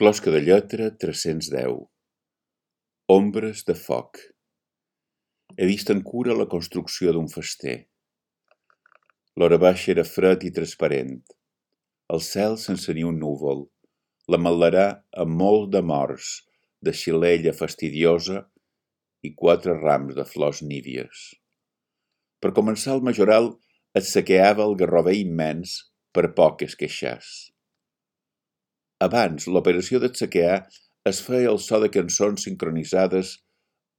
Closca de lletra 310. Ombres de foc. He vist en cura la construcció d'un fester. L'hora baixa era fred i transparent. El cel sense ni un núvol. L'ametlerà amb molt de morts, de xilella fastidiosa i 4 rams de flors nívies. Per començar el majoral es saqueava el garrover immens per poc que es queixàs. Abans, l'operació d'atsaquear es feia al so de cançons sincronitzades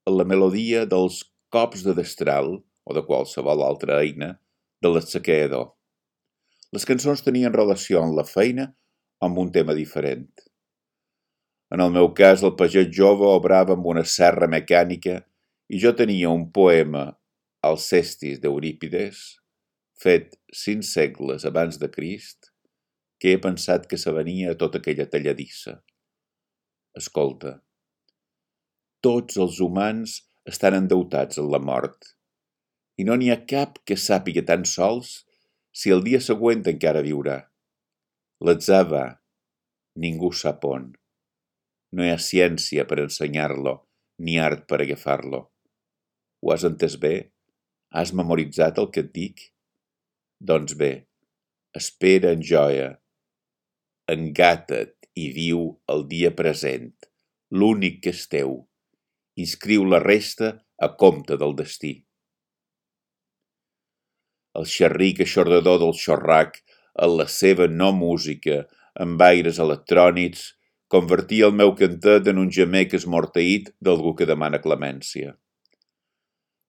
amb la melodia dels cops de destral, o de qualsevol altra eina, de l'atsaqueador. Les cançons tenien relació amb la feina o amb un tema diferent. En el meu cas, el pagès jove obrava amb una serra mecànica i jo tenia un poema, Alcestis d'Eurípides, fet 5 segles abans de Crist, que he pensat que s'avenia a tota aquella talladissa. Escolta, tots els humans estan endeutats en la mort, i no n'hi ha cap que sàpiga tan sols si el dia següent encara viurà. L'atzar va, ningú sap on. No hi ha ciència per ensenyar-lo, ni art per agafar-lo. Ho has entès bé? Has memoritzat el que et dic? Doncs bé, espera en joia. Engata't i viu el dia present, l'únic que és teu. Inscriu la resta a compte del destí. El xerric aixordador del xorrac, en la seva no música, amb aires electrònics, convertia el meu cantet en un gemec esmorteït d'algú que demana clemència.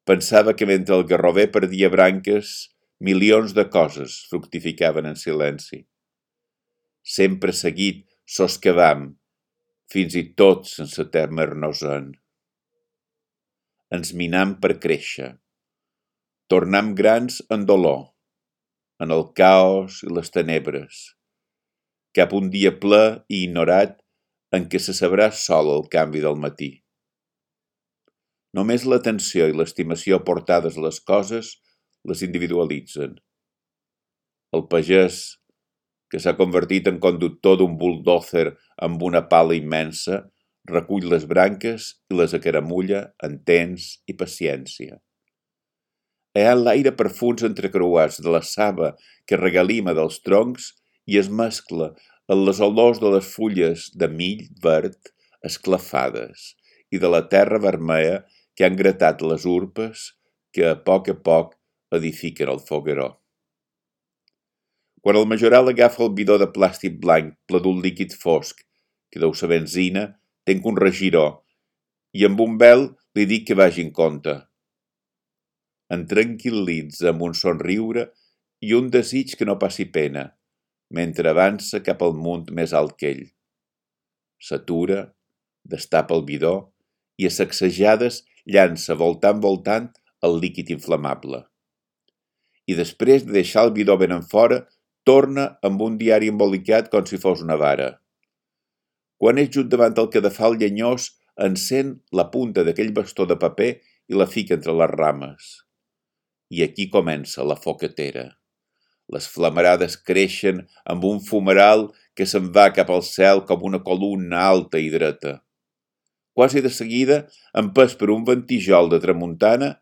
Pensava que mentre el garrover perdia branques, milions de coses fructificaven en silenci. Sempre seguit soscavam, fins i tot sense temer-nos en. Ens minam per créixer. Tornam grans en dolor, en el caos i les tenebres, cap un dia ple i ignorat en què se sabrà sol el canvi del matí. Només l'atenció i l'estimació portades a les coses les individualitzen. El pagès, que s'ha convertit en conductor d'un buldòzer amb una pala immensa, recull les branques i les acaramulla en temps i paciència. Hi ha l'aire perfums entrecreuats de la saba que regalima dels troncs i es mescla amb les olors de les fulles de mill verd esclafades i de la terra vermella que han gratat les urpes que a poc edifiquen el fogueró. Quan el majoral agafa el bidó de plàstic blanc ple d'un líquid fosc, que deu ser benzina, tenc un regiró i amb un vel li dic que vagi en compte. Em tranquil·litza amb un somriure i un desig que no passi pena, mentre avança cap al munt més alt que ell. S'atura, destapa el bidó i a sacsejades llança voltant el líquid inflamable. I després de deixar el bidó ben enfora, torna amb un diari embolicat com si fos una vara. Quan és just davant el cadafal llenyós, encén la punta d'aquell bastó de paper i la fica entre les rames. I aquí comença la foquetera. Les flamarades creixen amb un fumeral que se'n va cap al cel com una columna alta i dreta. Quasi de seguida, empès per un ventijol de tramuntana,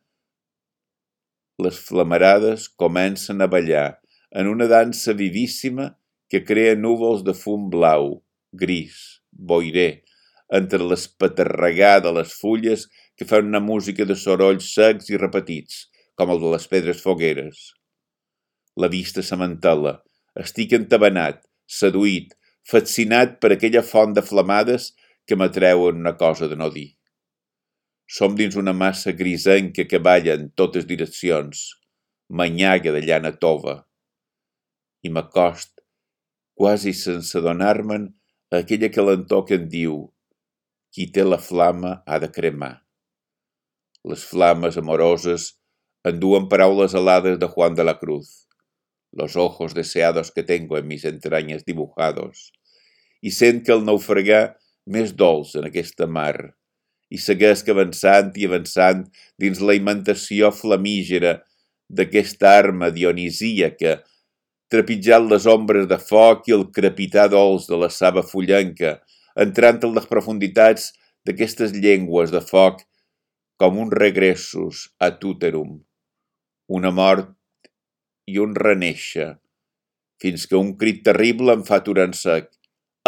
les flamarades comencen a ballar en una dansa vivíssima que crea núvols de fum blau, gris, boirer, entre l'espaterregar de les fulles que fan una música de sorolls secs i repetits, com el de les pedres fogueres. La vista s'amantela, estic entabanat, seduït, fascinat per aquella font de flamades que m'atreuen una cosa de no dir. Som dins una massa grisenca que balla en totes direccions, manyaga de llana tova. I m'acost, quasi sense adonar-me'n, a aquella calentor que em diu: qui té la flama ha de cremar. Les flames amoroses enduen paraules alades de Juan de la Cruz. Los ojos deseados que tengo en mis entrañas dibujados. I sent que el naufragar més dolç en aquesta mar. I segueix avançant i avançant dins la imitació flamígera d'aquesta arma dionisíaca, trepitjant les ombres de foc i el crepitar dolç de la saba fullenca, entrant en les profunditats d'aquestes llengües de foc com un regressus ad uterum, una mort i un renéixer, fins que un crit terrible em fa aturar en sec.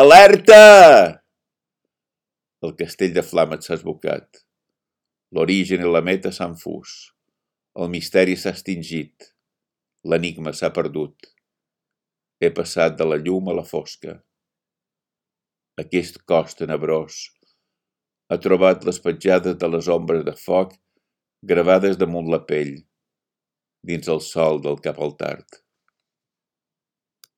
Alerta! El castell de flames s'ha esbocat. L'origen i la meta s'han fus. El misteri s'ha extingit. L'enigma s'ha perdut. He passat de la llum a la fosca. Aquest cos tenebrós ha trobat les petjades de les ombres de foc gravades damunt la pell, dins el sol del cap al tard.